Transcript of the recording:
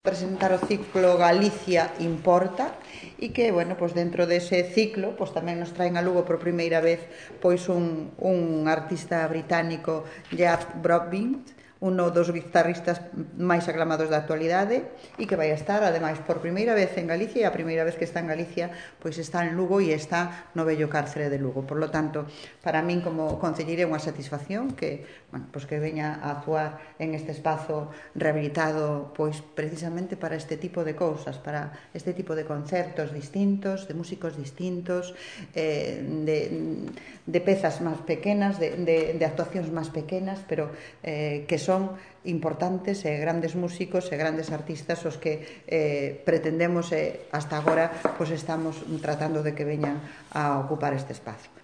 Presentar o ciclo Galicia Importa e que, bueno, pois dentro dese ciclo pois tamén nos traen a Lugo por primeira vez pois un artista británico, Jack Broadbent, uno dos guitarristas máis aclamados da actualidade e que vai estar, ademais, por primeira vez en Galicia, e a primeira vez que está en Galicia pois está en Lugo e está no vello cárcere de Lugo. Por lo tanto, para min como concelleira é unha satisfacción que, bueno, pois que veña a actuar en este espazo rehabilitado pois precisamente para este tipo de cousas, para este tipo de concertos distintos, de músicos distintos, de pezas máis pequenas, de actuacións máis pequenas, pero que son importantes e grandes músicos e grandes artistas os que pretendemos hasta agora pois estamos tratando de que veñan a ocupar este espazo.